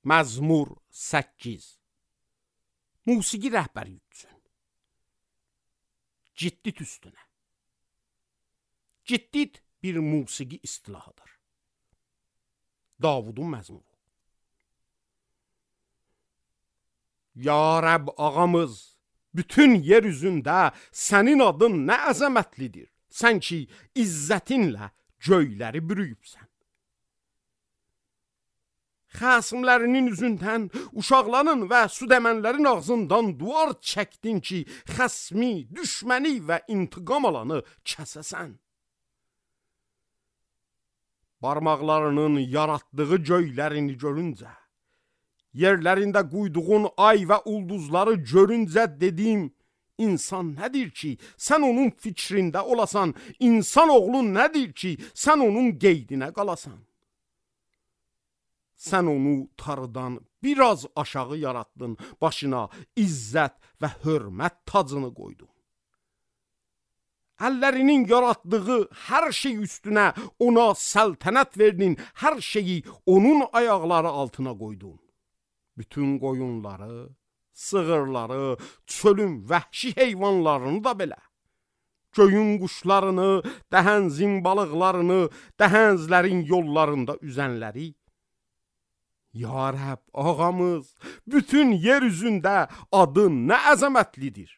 Məzmur 8. Musiqi rəhbəri üçün. Ciddit üstünə. Ciddit bir musiqi istilahıdır. Davudun məzmuru. Ya Rəbb ağamız, bütün yer üzündə sənin adın nə əzəmətlidir. Sən ki, izzətinlə göyləri bürüyübsən. Xəsimlərinin üzündən, uşaqların və südəmənlərin ağzından duvar çəkdin ki, xəsmi, düşməni və intiqam alanı kəsəsən. Barmaqlarının yaratdığı göylərini görüncə, yerlərində quyduğun ay və ulduzları görüncə dedim, insan nədir ki, sən onun fikrində olasan, insan oğlu nədir ki, sən onun qeydinə qalasan. Sən onu tarıdan biraz aşağı yaratdın, başına izzət və hörmət tacını qoydun. Əllərinin yaratdığı hər şey üstünə ona səltənət verdin, hər şeyi onun ayaqları altına qoydun. Bütün qoyunları, sığırları, çölün vəhşi heyvanlarını da belə. Göyün quşlarını, dəhənzin balıqlarını, dəhənzlərin yollarında üzənləri. Ya Rəbb, ağamız, bütün yer üzündə adın nə əzəmətlidir.